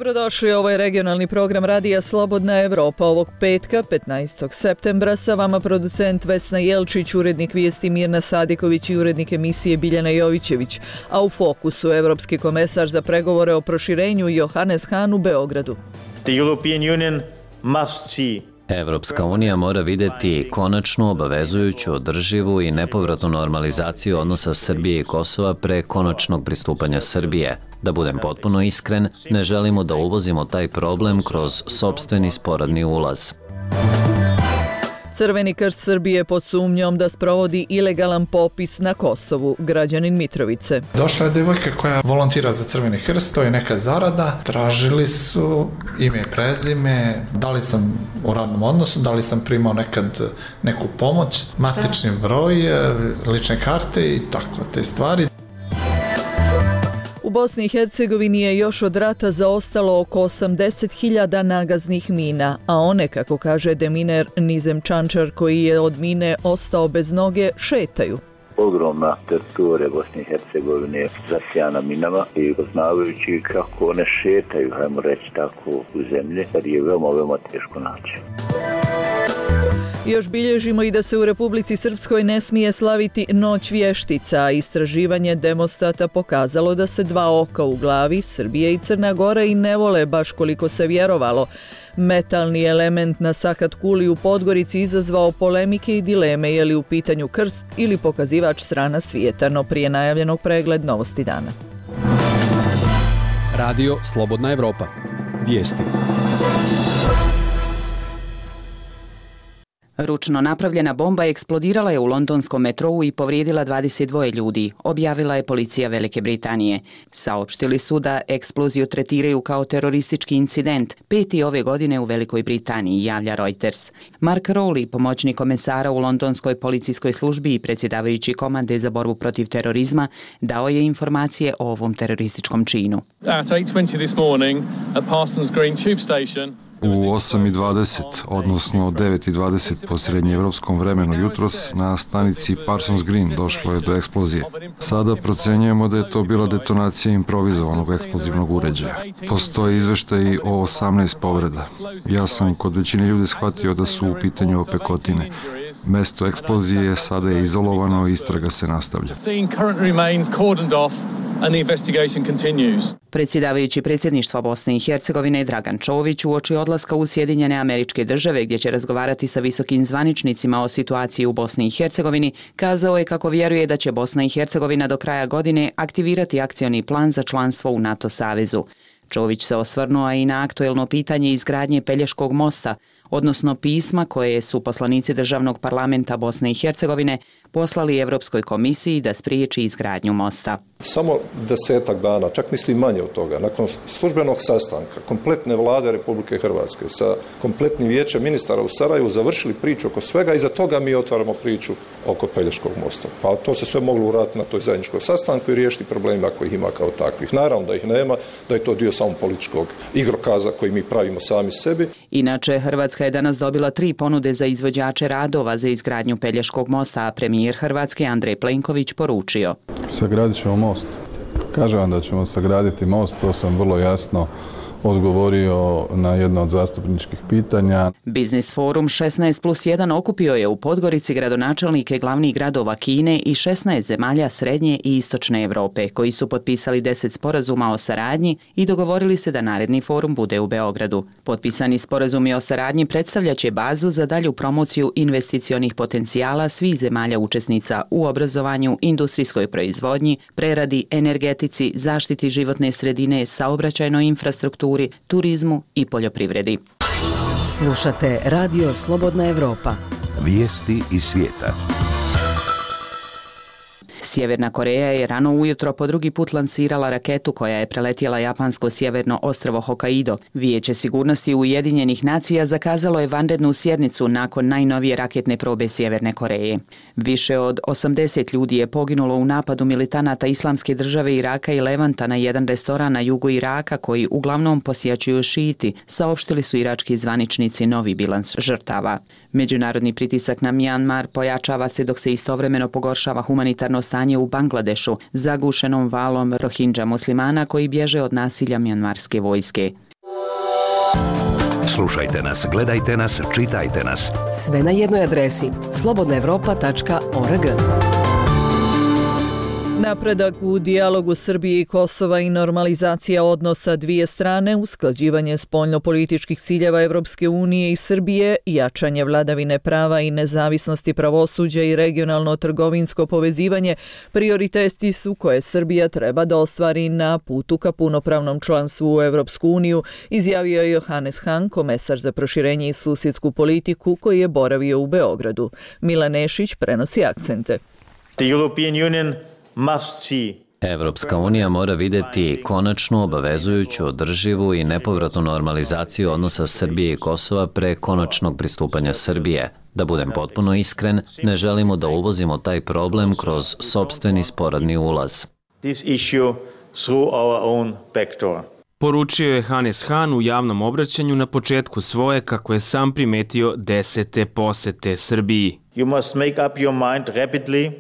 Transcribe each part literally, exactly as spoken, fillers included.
Dobrodošli, ovo je regionalni program Radija Slobodna Evropa ovog petka, petnaestog septembra. Sa vama producent Vesna Jelčić, urednik vijesti Mirna Sadiković i urednik emisije Biljana Jovićević. A u fokusu evropski komesar za pregovore o proširenju Johannes Hahn u Beogradu. The European Union must see Evropska unija mora vidjeti konačnu, obavezujuću, održivu i nepovratnu normalizaciju odnosa Srbije i Kosova pre konačnog pristupanja Srbije. Da budem potpuno iskren, ne želimo da uvozimo taj problem kroz sopstveni sporadni ulaz. Crveni krst Srbije pod sumnjom da sprovodi ilegalan popis na Kosovu, građanin Mitrovice. Došla je devojka koja volontira za Crveni krst, to je neka zarada. Tražili su ime i prezime, da li sam u radnom odnosu, da li sam primao nekad neku pomoć, matični broj, lične karte i tako te stvari. U Bosni i Hercegovini je još od rata zaostalo oko osamdeset hiljada nagaznih mina, a one, kako kaže deminer Nizem Čančar, koji je od mine ostao bez noge, šetaju. Ogromna teritorija Bosne i Hercegovine zasijana minama i poznavajući kako one šetaju, hajmo reći tako, u zemlji, kad je veoma, veoma teško naći. Još bilježimo i da se u Republici Srpskoj ne smije slaviti Noć vještica, a istraživanje Demostata pokazalo da se dva oka u glavi, Srbije i Crna Gora, i ne vole baš koliko se vjerovalo. Metalni element na Sahat Kuli u Podgorici izazvao polemike i dileme je li u pitanju krst ili pokazivač strana svijeta, no prije najavljenog pregled novosti dana. Radio Slobodna Evropa. Vijesti. Ručno napravljena bomba eksplodirala je u londonskom metrou i povrijedila dvadeset dva ljudi, objavila je policija Velike Britanije. Saopštili su da eksploziju tretiraju kao teroristički incident, peti ove godine u Velikoj Britaniji, javlja Reuters. Mark Rowley, pomoćnik komesara u londonskoj policijskoj službi i predsjedavajući komande za borbu protiv terorizma, dao je informacije o ovom terorističkom činu. At eight twenty this morning at Parsons Green tube station, u osam i dvadeset, odnosno devet i dvadeset po srednjeevropskom vremenu jutros, na stanici Parsons Green došlo je do eksplozije. Sada procenjujemo da je to bila detonacija improvizovanog eksplozivnog uređaja. Postoje izveštaji o osamnaest povreda. Ja sam kod većine ljudi shvatio da su u pitanju opekotine. Mesto eksplozije sada je izolovano i istraga se nastavlja. Predsjedavajući predsjedništva Bosne i Hercegovine Dragan Čović uoči odlaska u Sjedinjene Američke Države, gdje će razgovarati sa visokim zvaničnicima o situaciji u Bosni i Hercegovini, kazao je kako vjeruje da će Bosna i Hercegovina do kraja godine aktivirati akcioni plan za članstvo u NATO savezu. Čović se osvrnuo i na aktuelno pitanje izgradnje Pelješkog mosta, odnosno pisma koje su poslanici Državnog parlamenta Bosne i Hercegovine poslali Evropskoj komisiji da spriječi izgradnju mosta. Samo desetak dana, čak mislim manje od toga, nakon službenog sastanka kompletne vlade Republike Hrvatske sa kompletnim vijećem ministara u Sarajevu završili priču oko svega i za toga mi otvaramo priču oko Pelješkog mosta. Pa to se sve moglo uraditi na toj zajedničkoj sastanku i riješiti problema koji ih ima kao takvih. Naravno da ih nema, da je to dio samo političkog igrokaza koji mi pravimo sami sebi. Inače, Hrvatska je danas dobila tri ponude za izvođače radova za izgradnju Pelješkog mosta, a premijer Hrvatske Andrej Plenković poručio: sagradit ćemo most. Kažem vam da ćemo sagraditi most, to sam vrlo jasno odgovorio na jedno od zastupničkih pitanja. Biznis forum šesnaest plus jedan okupio je u Podgorici gradonačelnike glavnih gradova Kine i šesnaest zemalja Srednje i Istočne Europe, koji su potpisali deset sporazuma o saradnji i dogovorili se da naredni forum bude u Beogradu. Potpisani sporazumi o saradnji predstavljaće bazu za dalju promociju investicionih potencijala svih zemalja učesnica u obrazovanju, industrijskoj proizvodnji, preradi, energetici, zaštiti životne sredine, saobraćajnoj infrastrukturi, turizmu i poljoprivredi. Slušate Radio Slobodna Evropa. Vijesti iz svijeta. Sjeverna Koreja je rano ujutro po drugi put lansirala raketu koja je preletjela japansko sjeverno ostrvo Hokkaido. Vijeće sigurnosti Ujedinjenih nacija zakazalo je vanrednu sjednicu nakon najnovije raketne probe Sjeverne Koreje. Više od osamdeset ljudi je poginulo u napadu militanata Islamske države Iraka i Levanta na jedan restoran na jugu Iraka koji uglavnom posjećuju šiti, saopštili su irački zvaničnici novi bilans žrtava. Međunarodni pritisak na Mjanmar pojačava se dok se istovremeno pogoršava humanitarno stanje u Bangladešu, zagušenom valom Rohingya muslimana koji bježe od nasilja mjanmarske vojske. Slušajte nas, gledajte nas, čitajte nas. Sve na jednoj adresi slobodna evropa tačka org. Napredak u dijalogu Srbije i Kosova i normalizacija odnosa dvije strane, usklađivanje spoljnopolitičkih ciljeva Evropske unije i Srbije, jačanje vladavine prava i nezavisnosti pravosuđa i regionalno trgovinsko povezivanje prioriteti su koje Srbija treba da ostvari na putu ka punopravnom članstvu u Evropsku uniju, izjavio je Johannes Hahn, komesar za proširenje i susjedsku politiku koji je boravio u Beogradu. Milan Nešić prenosi akcente. The European Union must see Evropska unija mora vidjeti konačnu, obavezujuću, održivu i nepovratnu normalizaciju odnosa Srbije i Kosova pre konačnog pristupanja Srbije. Da budem potpuno iskren, ne želimo da uvozimo taj problem kroz sopstveni sporadni ulaz. this issue through our own back door. Poručio je Hannes Hahn u javnom obraćanju na početku svoje, kako je sam primetio, desete posete Srbiji. You must make up your mind rapidly.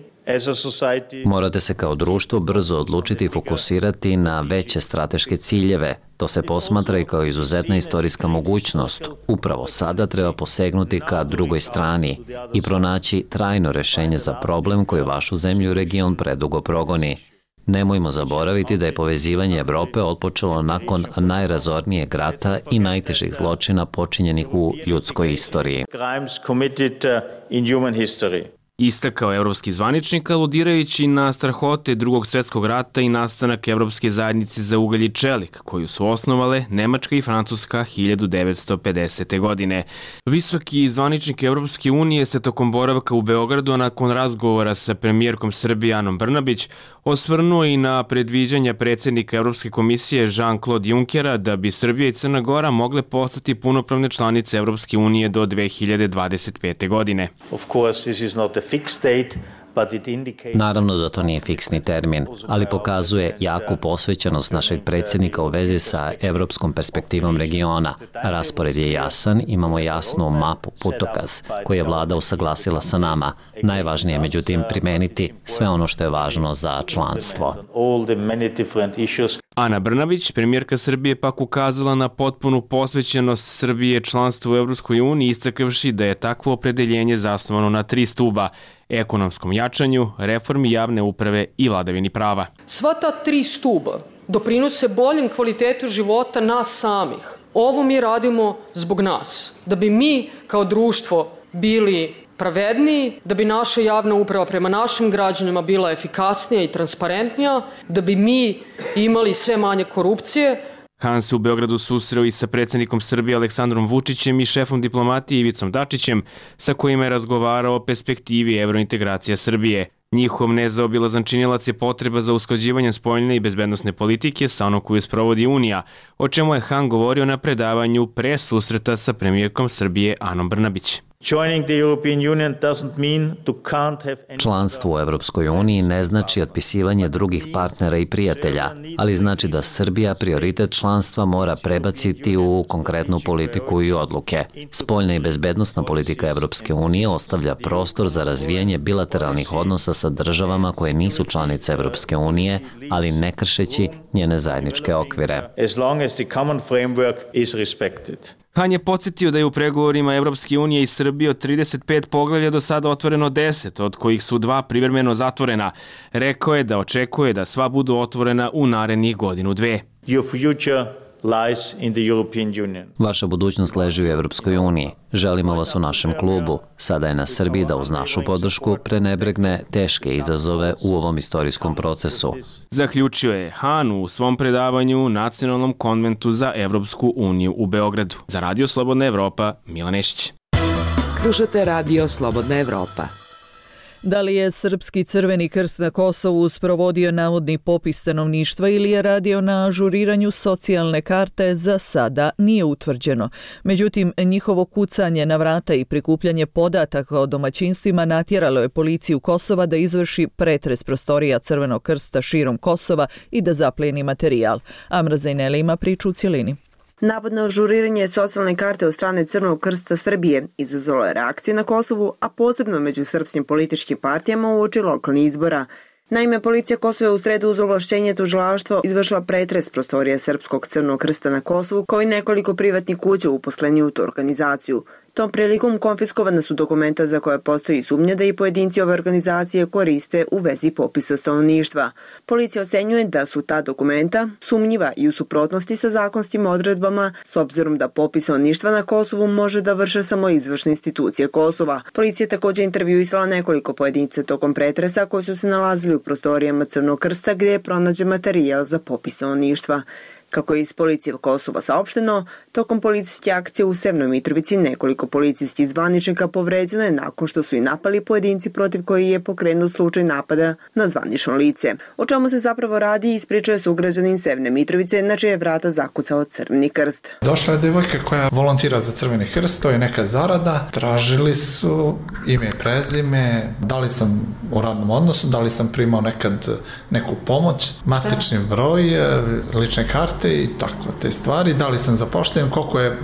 Morate se kao društvo brzo odlučiti i fokusirati na veće strateške ciljeve. To se posmatra i kao izuzetna istorijska mogućnost. Upravo sada treba posegnuti ka drugoj strani i pronaći trajno rešenje za problem koji vašu zemlju i region predugo progoni. Nemojmo zaboraviti da je povezivanje Evrope otpočelo nakon najrazornijeg rata i najtežih zločina počinjenih u ljudskoj istoriji. Istakao evropski zvaničnik, aludirajući na strahote Drugog svjetskog rata i nastanak Evropske zajednice za ugalj i čelik, koju su osnovale Nemačka i Francuska hiljadu devetsto pedesete. godine. Visoki zvaničnik Evropske unije se tokom boravka u Beogradu, a nakon razgovora sa premijerkom Srbije Anom Brnabić, osvrnuo i na predviđanja predsjednika Evropske komisije Jean-Claude Junckera da bi Srbija i Crna Gora mogle postati punopravne članice Evropske unije do dve hiljade dvadeset pete. godine. Of course, this is not a fixed date. Naravno da to nije fiksni termin, ali pokazuje jaku posvećenost našeg predsjednika u vezi sa evropskom perspektivom regiona. Raspored je jasan, imamo jasnu mapu, putokaz, koju je vlada usaglasila sa nama. Najvažnije je međutim primeniti sve ono što je važno za članstvo. Ana Brnabić, premijerka Srbije, pak ukazala na potpunu posvećenost Srbije članstvu u Evropskoj uniji, istakavši da je takvo opredeljenje zasnovano na tri stuba: ekonomskom jačanju, reformi javne uprave i vladavini prava. Sva ta tri stuba doprinose boljem kvalitetu života nas samih. Ovo mi radimo zbog nas, da bi mi kao društvo bili pravedniji, da bi naša javna uprava prema našim građanima bila efikasnija i transparentnija, da bi mi imali sve manje korupcije. Hahn se u Beogradu susreo i sa predsjednikom Srbije Aleksandrom Vučićem i šefom diplomatije Ivicom Dačićem, sa kojima je razgovarao o perspektivi evrointegracija Srbije. Njihov nezaobilazan činilac je potreba za usklađivanjem spoljne i bezbednosne politike sa onom koju sprovodi Unija, o čemu je Hahn govorio na predavanju pre susreta sa premijerkom Srbije Anom Brnabić. Članstvo u Evropskoj uniji ne znači otpisivanje drugih partnera i prijatelja, ali znači da Srbija prioritet članstva mora prebaciti u konkretnu politiku i odluke. Spoljna i bezbednosna politika Evropske unije ostavlja prostor za razvijanje bilateralnih odnosa sa državama koje nisu članice Evropske unije, ali ne kršeći njene zajedničke okvire. Hahn je podsjetio da je u pregovorima Evropske unije i Srbije od trideset pet poglavlja do sada otvoreno deset, od kojih su dva privremeno zatvorena. Rekao je da očekuje da sva budu otvorena u narednih godinu dve. Your future lies in the European Union. Vaša budućnost leži u Evropskoj uniji. Želimo vas u našem klubu. Sada je na Srbiji da uz našu podršku prenebregne teške izazove u ovom istorijskom procesu. Zaključio je Hahn u svom predavanju u Nacionalnom konventu za Evropsku uniju u Beogradu. Za Radio Slobodna Evropa, Milan Nešić. Slušate Radio Slobodna Evropa. Da li je Srpski Crveni krst na Kosovu sprovodio navodni popis stanovništva ili je radio na ažuriranju socijalne karte, za sada nije utvrđeno. Međutim, njihovo kucanje na vrata i prikupljanje podataka o domaćinstvima natjeralo je policiju Kosova da izvrši pretres prostorija Crvenog krsta širom Kosova i da zaplijeni materijal. Amra Zajneli ima priču u cjelini. Navodno ažuriranje socijalne karte od strane Crvenog krsta Srbije izazvalo je reakcije na Kosovu, a posebno među srpskim političkim partijama uoči lokalnih izbora. Naime, policija Kosova je u sredu uz ovlašćenje tužilaštva izvršila pretres prostorija Srpskog Crvenog krsta na Kosovu, kao i nekoliko privatnih kuća uposleni u tu organizaciju. Tom prilikom konfiskovana su dokumenta za koje postoji sumnja da i pojedinci ove organizacije koriste u vezi popisa stanovništva. Policija ocenjuje da su ta dokumenta sumnjiva i u suprotnosti sa zakonskim odredbama, s obzirom da popis stanovništva na Kosovu može da vrše samo izvršne institucije Kosova. Policija je također intervjuisala nekoliko pojedinca tokom pretresa koji su se nalazili u prostorijama Crvenog krsta gdje je pronađen materijal za popis stanovništva. Kako je iz policije Kosova saopšteno, tokom policijske akcije u Severnoj Mitrovici nekoliko policijskih zvaničnika povređeno je nakon što su i napali pojedinci protiv koji je pokrenut slučaj napada na zvanično lice. O čemu se zapravo radi ispričao je sugrađanin Severne Mitrovice na čije je vrata zakucao Crveni krst. Došla je devojka koja volontira za Crveni krst, to je neka zarada. Tražili su ime i prezime, da li sam u radnom odnosu, da li sam primao nekad neku pomoć, matični broj, lične karte i tako te stvari, da li sam zapošljen, koliko je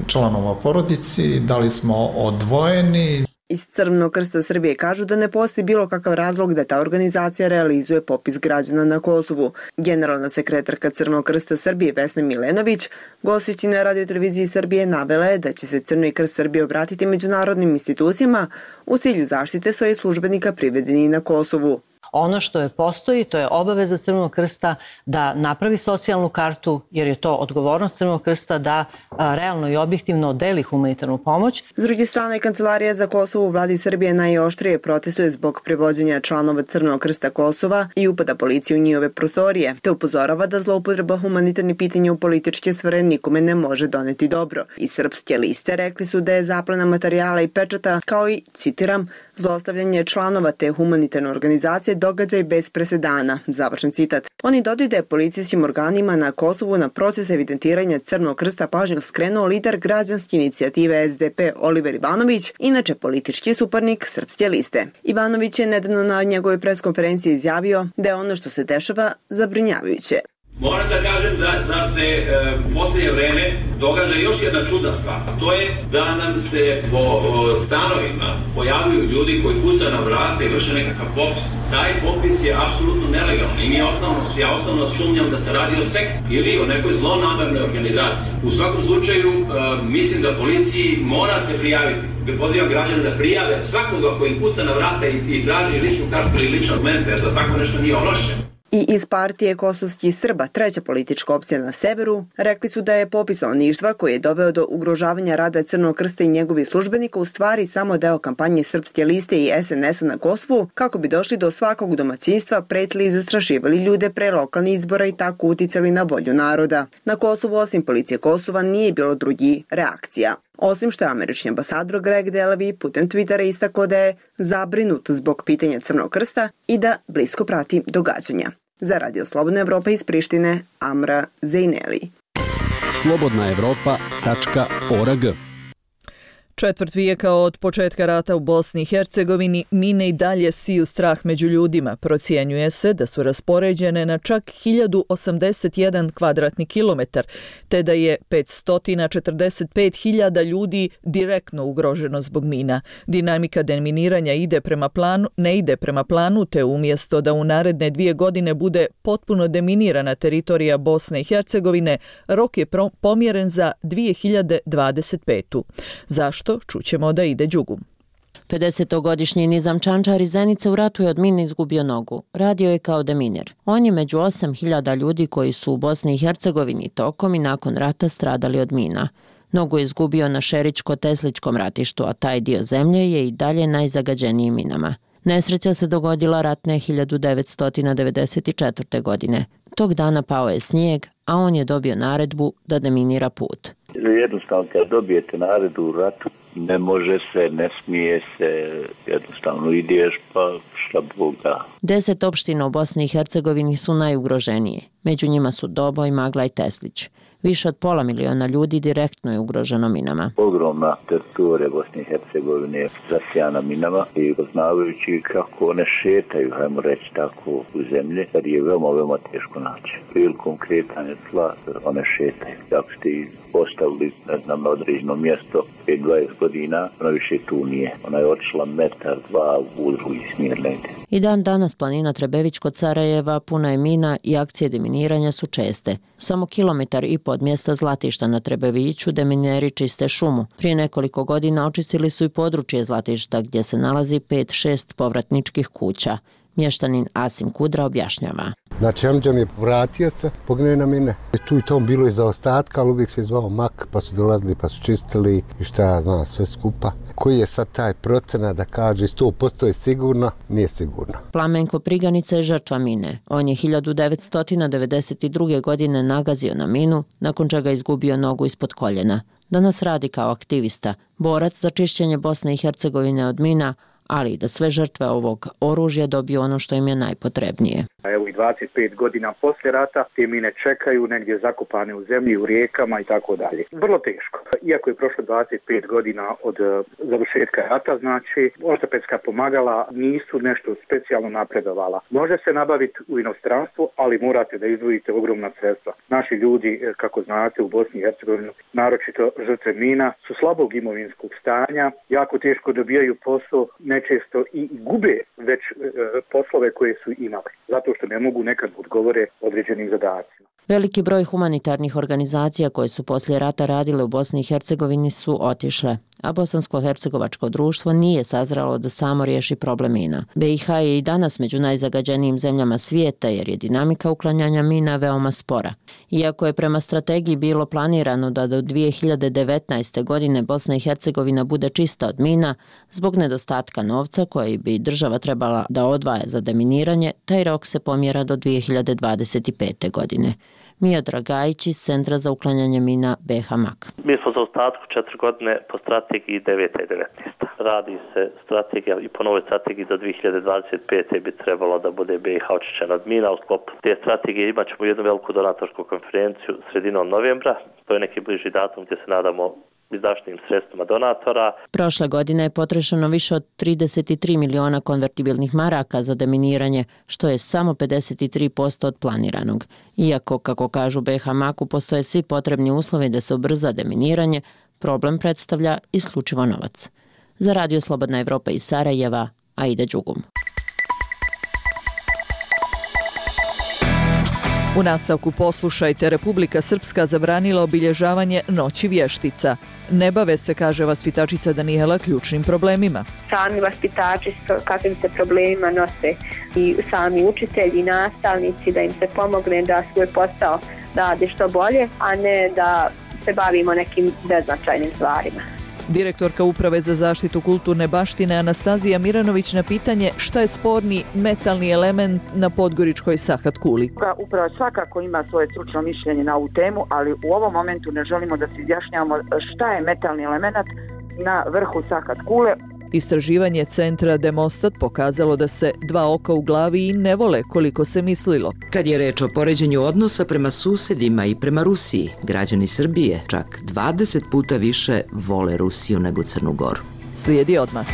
članova u porodici, da li smo odvojeni. Iz Crvenog krsta Srbije kažu da ne postoji bilo kakav razlog da ta organizacija realizuje popis građana na Kosovu. Generalna sekretarka Crvenog krsta Srbije Vesna Milenović, gostujući na radioteleviziji Srbije, navela je da će se Crveni krst Srbije obratiti međunarodnim institucijama u cilju zaštite svojih službenika privedenih na Kosovu. Ono što je postoji, to je obaveza Crvenog krsta da napravi socijalnu kartu, jer je to odgovornost Crvenog krsta da a, realno i objektivno deli humanitarnu pomoć. S druge strane, Kancelarija za Kosovo u vladi Srbije najoštrije protestuje zbog prevođenja članova Crvenog krsta Kosova i upada policije u njihove prostorije, te upozorava da zloupotreba humanitarnih pitanja u političke sfere nikome ne može doneti dobro. Iz Srpske liste rekli su da je zaplena materijala i pečata, kao i, citiram, zlostavljanje članova te humanitarne organizacije događaj bez presedana, završen citat. Oni dodaju da je policijskim organima na Kosovu na proces evidentiranja Crvenog krsta pažnju skrenuo lider građanske inicijative S D P Oliver Ivanović, inače politički suparnik Srpske liste. Ivanović je nedavno na njegovoj preskonferenciji izjavio da je ono što se dešava zabrinjavajuće. Moram da kažem da, da se e, u posljednje vreme događa još jedna čudna stvar, a to je da nam se po o, stanovima pojavljuju ljudi koji kucaju na vrata i vrše nekakav popis. Taj popis je apsolutno nelegalan i mi osnovno, ja osnovno sumnjam da se radi o sekti ili o nekoj zlonamernoj organizaciji. U svakom slučaju e, mislim da policiji morate prijaviti. Pozivam građane da prijave svakoga koji kuca na vrata i, i traži ličnu kartu ili lične dokumente, jer za tako nešto nije ovlašćen. I iz partije kosovskih Srba, treća politička opcija na severu, rekli su da je popis stanovništva koji je doveo do ugrožavanja rada Crvenog krsta i njegovih službenika u stvari samo deo kampanje Srpske liste i S N S-a na Kosovu, kako bi došli do svakog domaćinstva, pretili i zastrašivali ljude pre lokalnih izbora i tako uticali na volju naroda. Na Kosovu, osim policije Kosova, nije bilo drugih reakcija. Osim što je američki ambasador Greg Delavi putem Twittera istakao da je zabrinut zbog pitanja Crvenog krsta i da blisko prati događanja. Za Radio Slobodna Evropa iz Prištine, Amra Zejneli. slobodna evropa tačka org. Četvrt vijeka od početka rata u Bosni i Hercegovini mine i dalje siju strah među ljudima. Procjenjuje se da su raspoređene na čak hiljadu osamdeset jedan kvadratni kilometar, te da je petsto četrdeset pet hiljada ljudi direktno ugroženo zbog mina. Dinamika deminiranja ide prema planu, ne ide prema planu, te umjesto da u naredne dvije godine bude potpuno deminirana teritorija Bosne i Hercegovine, rok je pomjeren za dvije hiljade dvadeset petu. Zašto? Čućemo da ide Đugum. pedesetogodišnji Nizam Čančar iz Zenice u ratu je od mine izgubio nogu. Radio je kao deminer. On je među osam hiljada ljudi koji su u Bosni i Hercegovini tokom i nakon rata stradali od mina. Nogu je izgubio na Šeričko-Tesličkom ratištu, a taj dio zemlje je i dalje najzagađeniji minama. Nesreća se dogodila ratne hiljadu devetsto devedeset četvrte. godine. Tog dana pao je snijeg, a on je dobio naredbu da deminira put. Jednostavno, kad dobijete naredbu u ratu, ne može se, ne smije se, jednostavno ideš pa šta Bog da. Deset opština u Bosni i Hercegovini su najugroženije. Među njima su Doboj, Magla i Teslić. Više od pola miliona ljudi direktno je ugroženo minama. Ogromna teritorija Bosne i Hercegovine je zasijana minama i poznavajući kako one šetaju, hajmo reći tako, u zemlji, kad je veoma, veoma teško naći. Prilikom kretanja tla one šetaju. Ako ste ih postavili, ne znam, na određeno mjesto pet do dvadeset godina, ona više tu nije. Ona je otišla metar, dva u drugi smjer negdje. I dan danas planina Trebević kod Sarajeva puna je mina i akcije deminiranja su česte. Samo kilometar i po od mjesta Zlatišta na Trebeviću demineri čiste šumu. Prije nekoliko godina očistili su i područje Zlatišta gdje se nalazi pet šest povratničkih kuća. Mještanin Asim Kudra objašnjava. Znači, amđa mi je vratio se, pogneo na mine. Tu i tom bilo je zaostatka, ali uvijek se zvao mak, pa su dolazili, pa su čistili i šta ja znam, sve skupa. Koji je sad taj procena da kaže sto posto je sigurno, nije sigurno. Plamenko Priganica je žrtva mine. On je hiljadu devetsto devedeset druge. godine nagazio na minu, nakon čega izgubio nogu ispod koljena. Danas radi kao aktivista, borac za čišćenje Bosne i Hercegovine od mina, ali i da sve žrtve ovog oružja dobiju ono što im je najpotrebnije. Evo i dvadeset pet godina poslije rata te mine čekaju negdje zakopane u zemlji, u rijekama i tako dalje. Vrlo teško. Iako je prošlo dvadeset pet godina od završetka rata, znači ortopedska pomagala nisu nešto specijalno napredovala. Može se nabaviti u inostranstvu, ali morate da izdvojite ogromna sredstva. Naši ljudi, kako znate, u Bosni i Hercegovini, naročito žrtve mina, su slabog imovinskog stanja, jako teško dobijaju posao, nečesto i gube već e, poslove koje su imali, zato što ne mogu nekad odgovore određenim zadacima. Veliki broj humanitarnih organizacija koje su poslije rata radile u Bosni i Hercegovini su otišle, a Bosansko-hercegovačko društvo nije sazralo da samo riješi problem mina. B i H je i danas među najzagađenijim zemljama svijeta jer je dinamika uklanjanja mina veoma spora. Iako je prema strategiji bilo planirano da do dvije hiljade devetnaeste. godine Bosna i Hercegovina bude čista od mina, zbog nedostatka novca koji bi država trebala da odvaja za deminiranje, taj rok se pomjera do dvije hiljade dvadeset pete. godine. Mija Dragajić iz Centra za uklanjanje mina B H M A K. Mi smo za ostatku četiri godine po strategiji deveta i devetnaesta. Radi se strategija i po novoj strategiji do dvije hiljade dvadeset pete. bi trebalo da bude B i H očišćena od mina. U sklopu te strategije imat ćemo jednu veliku donatorsku konferenciju sredinom novembra. To je neki bliži datum gdje se nadamo izdašnim sredstvima donatora. Prošle godine je potrošeno više od trideset tri miliona konvertibilnih maraka za deminiranje, što je samo pedeset tri posto od planiranog. Iako, kako kažu B H M A K-u, postoje svi potrebni uslovi da se ubrza deminiranje, problem predstavlja isključivo novac. Za Radio Slobodna Evropa iz Sarajeva, Aida Đugum. U nastavku poslušajte, Republika Srpska zabranila obilježavanje Noći vještica. Ne bave se, kaže vaspitačica Danijela, ključnim problemima. Sami vaspitači s kakvim se problemima nose i sami učitelji i nastavnici, da im se pomogne da svoj posao rade što bolje, a ne da se bavimo nekim beznačajnim stvarima. Direktorka Uprave za zaštitu kulturne baštine Anastazija Miranović na pitanje šta je sporni metalni element na podgoričkoj Sahat kuli. Uprava svakako ima svoje stručno mišljenje na ovu temu, ali u ovom momentu ne želimo da se izjašnjavamo šta je metalni element na vrhu Sahat kule. Istraživanje centra Demostat pokazalo da se dva oka u glavi i ne vole koliko se mislilo. Kad je reč o poređenju odnosa prema susedima i prema Rusiji, građani Srbije čak dvadeset puta više vole Rusiju nego Crnu Goru. Slijedi odmah.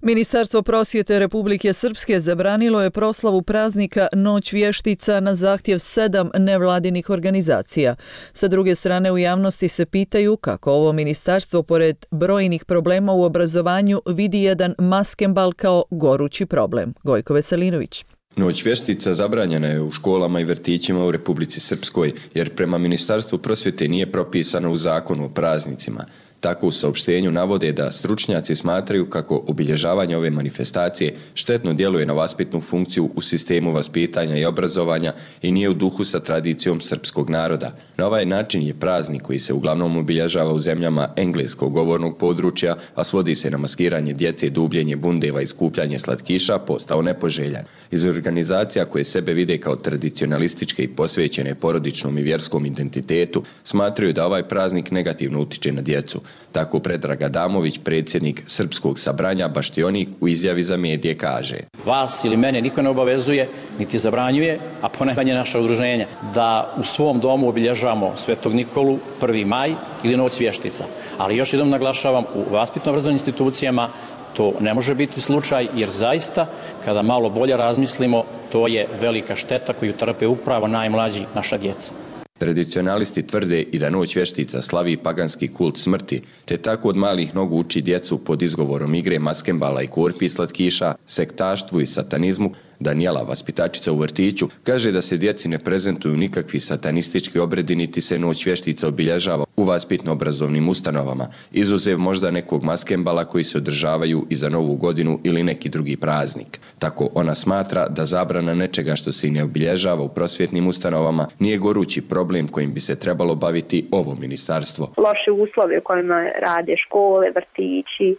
Ministarstvo prosvjete Republike Srpske zabranilo je proslavu praznika Noć vještica na zahtjev sedam nevladinih organizacija. Sa druge strane, u javnosti se pitaju kako ovo ministarstvo, pored brojnih problema u obrazovanju, vidi jedan maskembal kao gorući problem. Gojko Veselinović. Noć vještica zabranjena je u školama i vrtićima u Republici Srpskoj, jer prema Ministarstvu prosvjete nije propisano u zakonu o praznicima. Tako u saopštenju navode da stručnjaci smatraju kako obilježavanje ove manifestacije štetno djeluje na vaspitnu funkciju u sistemu vaspitanja i obrazovanja i nije u duhu sa tradicijom srpskog naroda. Na ovaj način je praznik koji se uglavnom obilježava u zemljama engleskog govornog područja, a svodi se na maskiranje djece, dubljenje bundeva i skupljanje slatkiša, postao nepoželjan. Iz organizacija koje sebe vide kao tradicionalističke i posvećene porodičnom i vjerskom identitetu, smatraju da ovaj praznik negativno utiče na djecu. Tako Predrag Adamović, predsjednik Srpskog sabranja Baštionik, u izjavi za medije kaže: Vas ili mene niko ne obavezuje, niti zabranjuje, a ponajmanje naša udruženja, da u svom domu obilježavamo Svetog Nikolu, prvi maj ili Noć vještica. Ali još jednom naglašavam, u vaspitno-obrazovnim institucijama to ne može biti slučaj, jer zaista, kada malo bolje razmislimo, to je velika šteta koju trpe upravo najmlađi, naša djeca. Tradicionalisti tvrde i da noć vještica slavi paganski kult smrti, te tako od malih nogu uči djecu pod izgovorom igre maskembala i korpi slatkiša, sektaštvu i satanizmu. Danijela, vaspitačica u vrtiću, kaže da se djeci ne prezentuju nikakvi satanistički obredi niti se noć vještica obilježava u vaspitno-obrazovnim ustanovama, izuzev možda nekog maskembala koji se održavaju i za Novu godinu ili neki drugi praznik. Tako ona smatra da zabrana nečega što se i ne obilježava u prosvjetnim ustanovama nije gorući problem kojim bi se trebalo baviti ovo ministarstvo. Loše uslove u kojima rade škole, vrtići,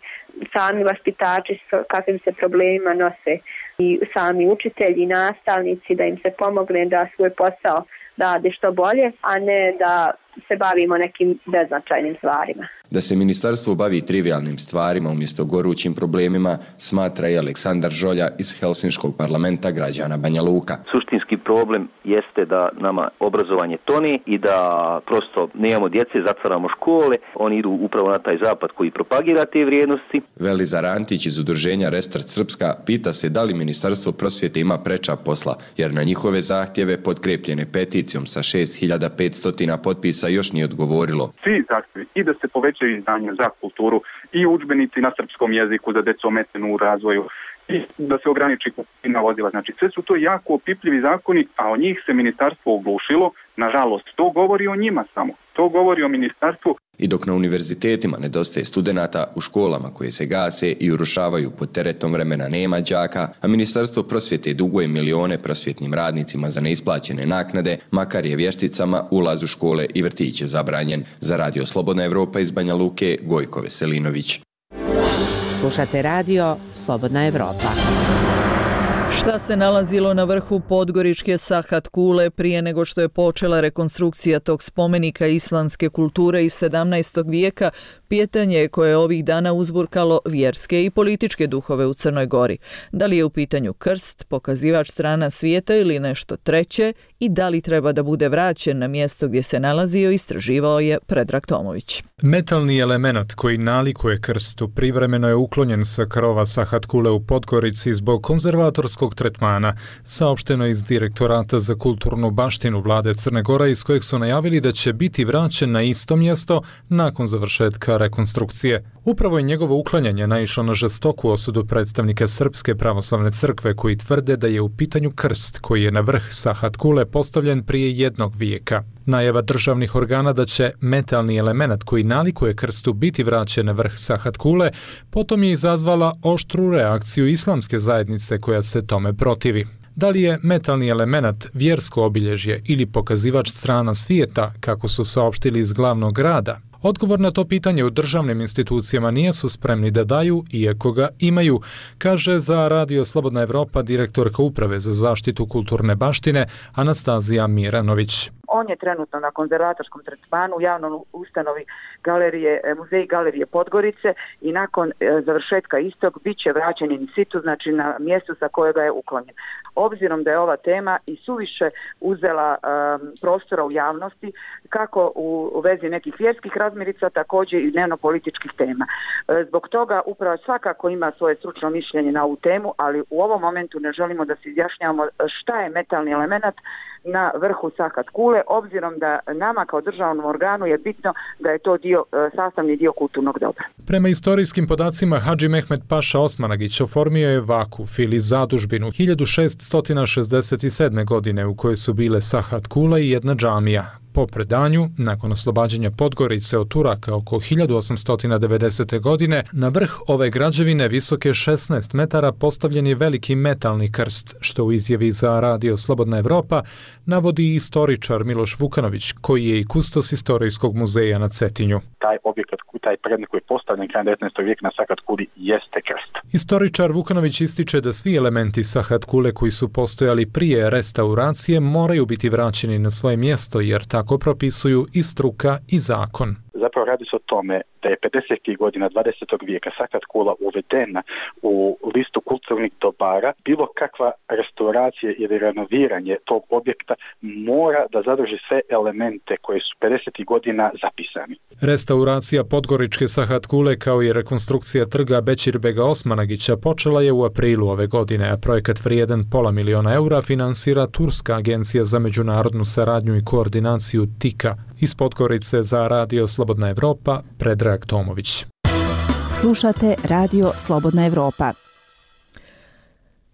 sami vaspitači s kakvim se problemima nose i sami učitelji, nastavnici, da im se pomogne da svoj posao rade što bolje, a ne da se bavimo nekim beznačajnim stvarima. Da se ministarstvo bavi trivialnim stvarima umjesto gorućim problemima, smatra i Aleksandar Žolja iz Helsinškog parlamenta građana Banja Luka. Suštinski problem jeste da nama obrazovanje toni i da prosto nemamo djece, zatvaramo škole, oni idu upravo na taj zapad koji propagira te vrijednosti. Velizar Antić iz udruženja Restart Srpska pita se da li ministarstvo prosvjete ima preča posla, jer na njihove zahtjeve potkrepljene peticijom sa šest hiljada petsto potpisa još nije odgovorilo. Svi zahtjevi i da se povećaju izdanja za kulturu i udžbenici na srpskom jeziku za decu ometenu u razvoju i da se ograniči kupovina vozila. Znači sve su to jako opipljivi zakoni, a o njih se ministarstvo oglušilo. Nažalost, to govori o njima samo. To govori o ministarstvu. I dok na univerzitetima nedostaje studenata, u školama koje se gase i urušavaju pod teretom vremena nema đaka, a ministarstvo prosvjete duguje milione prosvjetnim radnicima za neisplaćene naknade, makar je vješticama ulaz u škole i vrtiće zabranjen. Za Radio Slobodna Evropa iz Banja Luke, Gojko Veselinović. Slušate radio Slobodna Evropa. Šta se nalazilo na vrhu podgoričke Sahat kule prije nego što je počela rekonstrukcija tog spomenika islamske kulture iz sedamnaestog vijeka, pitanje je koje je ovih dana uzburkalo vjerske i političke duhove u Crnoj Gori. Da li je u pitanju krst, pokazivač strana svijeta ili nešto treće i da li treba da bude vraćen na mjesto gdje se nalazio, istraživao je Predrag Tomović. Metalni element koji nalikuje krstu privremeno je uklonjen sa krova Sahat kule u Podgorici zbog konzervatorskog tretmana, saopšteno iz Direktorata za kulturnu baštinu vlade Crne Gore, iz kojeg su najavili da će biti vraćen na isto mjesto nakon završetka rekonstrukcije. Upravo je njegovo uklanjanje naišlo na žestoku osudu predstavnika Srpske pravoslavne crkve koji tvrde da je u pitanju krst koji je na vrh Sahat kule postavljen prije jednog vijeka. Najava državnih organa da će metalni element koji nalikuje krstu biti vraćen na vrh Sahat kule potom je izazvala oštru reakciju islamske zajednice koja se tome protivi. Da li je metalni element vjersko obilježje ili pokazivač strana svijeta, kako su saopštili iz glavnog grada? Odgovor na to pitanje u državnim institucijama nisu spremni da daju, iako ga imaju, kaže za Radio Slobodna Evropa direktorka Uprave za zaštitu kulturne baštine Anastazija Miranović. On je trenutno na konzervatorskom tretmanu u javnom ustanovi galerije, muzej galerije Podgorice i nakon e, završetka istog bit će vraćen in situ, znači na mjestu sa kojega je uklonjen. Obzirom da je ova tema i suviše uzela um, prostora u javnosti, kako u, u vezi nekih vjerskih razmirica, također i dnevno-političkih tema. E, zbog toga upravo svakako ima svoje stručno mišljenje na ovu temu, ali u ovom momentu ne želimo da se izjašnjavamo šta je metalni element na vrhu Sahat kule, obzirom da nama kao državnom organu je bitno da je to dio, sastavni dio kulturnog dobra. Prema istorijskim podacima, Hadži Mehmed Paša Osmanagić oformio je vakuf ili zadužbinu hiljadu šeststo šezdeset sedme. godine u kojoj su bile Sahat kula i jedna džamija. Po predanju, nakon oslobađanja Podgorice od Turaka oko hiljadu osamsto devedesete. godine, na vrh ove građevine visoke šesnaest metara postavljen je veliki metalni krst, što u izjavi za Radio Slobodna Evropa navodi istoričar Miloš Vukanović, koji je i kustos Istorijskog muzeja na Cetinju. Taj objekat, taj predmet koji je postavljen krajem devetnaestog vijeka na Sahat kuli jeste krst. Istoričar Vukanović ističe da svi elementi Sahat kule koji su postojali prije restauracije moraju biti vraćeni na svoje mjesto, jer tako propisuju i struka i zakon. Zapravo radi se o tome da je pedesetih godina dvadesetog vijeka Sahat kula uvedena u listu kulturnih dobara. Bilo kakva restauracija ili renoviranje tog objekta mora da zadrži sve elemente koje su pedesetih godina zapisani. Restauracija podgoričke Sahat Kule kao i rekonstrukcija trga Bećirbega Osmanagića počela je u aprilu ove godine, a projekat vrijedan pola miliona eura finansira Turska agencija za međunarodnu saradnju i koordinaciju TIKA. Iz Podgorice za Radio Slobodna Evropa, Predrag Tomović. Slušate Radio Slobodna Evropa.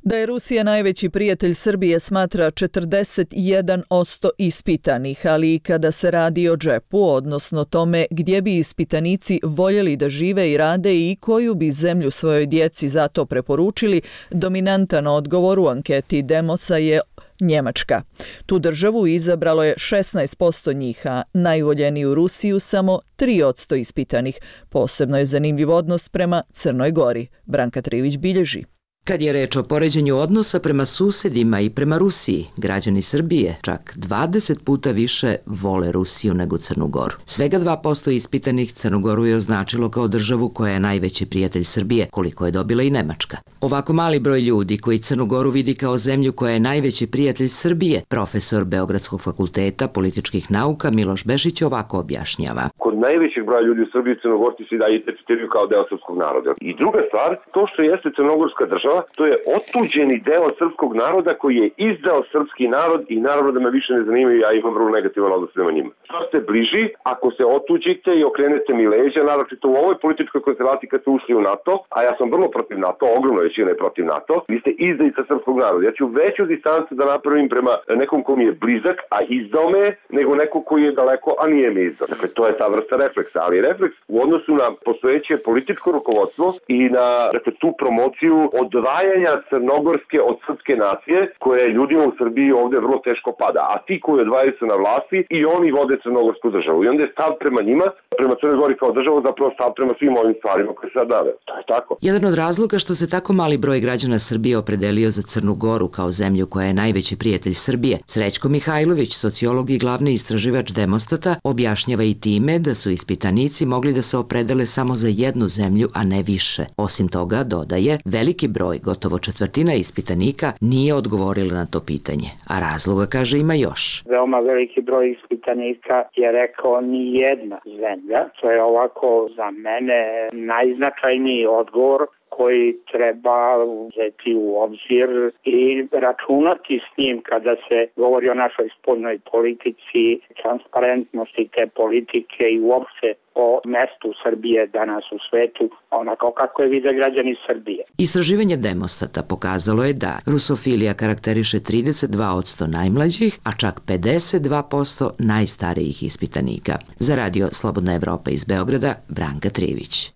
Da je Rusija najveći prijatelj Srbije smatra četrdeset jedan posto ispitanih, ali i kada se radi o džepu, odnosno tome gdje bi ispitanici voljeli da žive i rade i koju bi zemlju svojoj djeci zato preporučili, dominantan odgovor u anketi Demosa je Njemačka. Tu državu izabralo je šesnaest posto njih, a najvoljeniju Rusiju samo tri posto ispitanih. Posebno je zanimljiv odnos prema Crnoj Gori. Branka Trivić bilježi. Kad je reč o poređenju odnosa prema susedima i prema Rusiji, građani Srbije čak dvadeset puta više vole Rusiju nego Crnu Goru. Svega dva posto ispitanih Crnu Goru je označilo kao državu koja je najveći prijatelj Srbije, koliko je dobila i Nemačka. Ovako mali broj ljudi koji Crnu Goru vidi kao zemlju koja je najveći prijatelj Srbije, profesor Beogradskog fakulteta političkih nauka Miloš Bešić ovako objašnjava. Kod najvećeg broja ljudi u Srbiji Crnogorci se da identifikuju kao deo srpskog naroda. I druga stvar, to što jeste crnogorska država, to je otuđeni deo srpskog naroda koji je izdao srpski narod i naravno da me više ne zanimaju, ja imam vrlo negativan odnos prema njima. Što ste bliži, ako se otuđite i okrenete mi leđa, naravno u ovoj političkoj konstelaciji kad ste ušli u NATO, a ja sam vrlo protiv NATO, ogromna većina je protiv NATO, vi ste izdajica srpskog naroda. Ja ću veću distancu da napravim prema nekom ko mi je blizak, a izdao me, nego neko koji je daleko, a nije me izdao. Dakle, to je ta vrsta refleksa, ali refleks u odnosu na postojeće političko rukovodstvo i na dakle, tu promociju odvajanja crnogorske od srpske nacije, koje ljudima u Srbiji ovdje vrlo teško pada. A ti koji odvajaju se na vlasti i oni vode crnogorsku državu. I onda je stav prema njima, prema Crnoj Gori kao državu, zapravo stav prema svim ovim stvarima koje se sad nave. To je tako. Jedan od razloga što se tako mali broj građana Srbije opredelio za Crnu Goru kao zemlju koja je najveći prijatelj Srbije, Srećko Mihajlović, sociolog i glavni istraživač Demostata, objašnjava i time da su ispitanici mogli da se opredele samo za jednu zemlju, a ne više. Osim toga, dodaje, veliki broj, gotovo četvrtina ispitanika nije odgovorila na to pitanje, a razloga, kaže, ima još. Veoma veliki broj ispitanika je rekao ni jedna zemlja. To je ovako za mene najznačajniji odgovor koji treba uzeti u obzir i računati s njim kada se govori o našoj spoljnoj politici, transparentnosti te politike i uopšte o mestu Srbije danas u svetu, onako kako je vide građani Srbije. Istraživanje Demostata pokazalo je da rusofilija karakteriše trideset dva posto najmlađih, a čak pedeset dva posto najstarijih ispitanika. Za Radio Slobodna Evropa iz Beograda, Branka Trivić.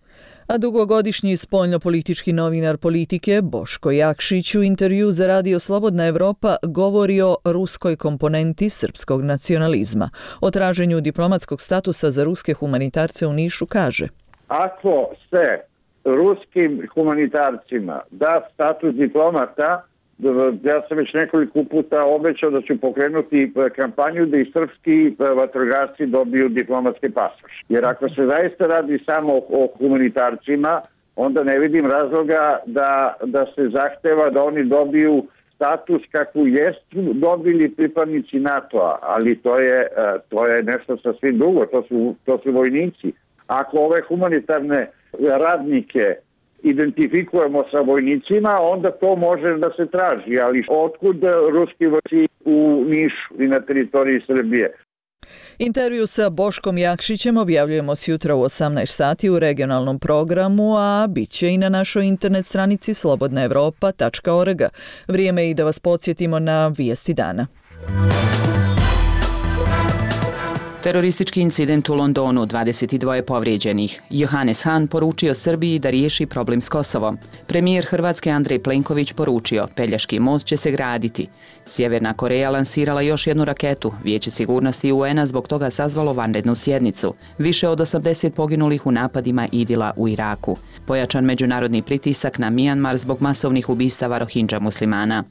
A dugogodišnji spoljnopolitički novinar Politike Boško Jakšić u intervju za Radio Slobodna Evropa govori o ruskoj komponenti srpskog nacionalizma. O traženju diplomatskog statusa za ruske humanitarce u Nišu kaže: Ako se ruskim humanitarcima da status diplomata, ja sam već nekoliko puta obećao da ću pokrenuti kampanju da i srpski vatrogasci dobiju diplomatski pasoš. Jer ako se zaista radi samo o humanitarcima, onda ne vidim razloga da, da se zahteva da oni dobiju status kakvu jesu dobili pripadnici NATO-a, ali to je, to je nešto sasvim drugo, to su, to su vojnici. Ako ove humanitarne radnike identifikujemo sa vojnicima, onda to može da se traži, ali otkud ruski vojci u Nišu i na teritoriji Srbije? Intervju sa Boškom Jakšićem objavljujemo sjutra u osamnaest sati u regionalnom programu, a bit će i na našoj internet stranici slobodna evropa tačka org. Vrijeme je i da vas podsjetimo na vijesti dana. Teroristički incident u Londonu, dvadeset dva povrijeđenih. Johannes Hahn poručio Srbiji da riješi problem s Kosovom. Premijer Hrvatske Andrej Plenković poručio, Pelješki most će se graditi. Sjeverna Koreja lansirala još jednu raketu. Vijeće sigurnosti U N a zbog toga sazvalo vanrednu sjednicu. Više od osamdeset poginulih u napadima Idila u Iraku. Pojačan međunarodni pritisak na Mijanmar zbog masovnih ubistava Rohingya muslimana.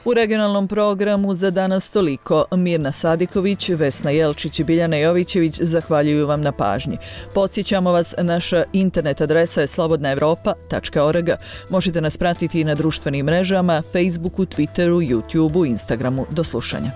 U regionalnom programu za danas toliko. Mirna Sadiković, Vesna Jelčić i Biljana Jovićević zahvaljuju vam na pažnji. Podsjećamo vas, naša internet adresa je slobodna evropa tačka org. Možete nas pratiti i na društvenim mrežama, Facebooku, Twitteru, YouTubeu, Instagramu. Do slušanja.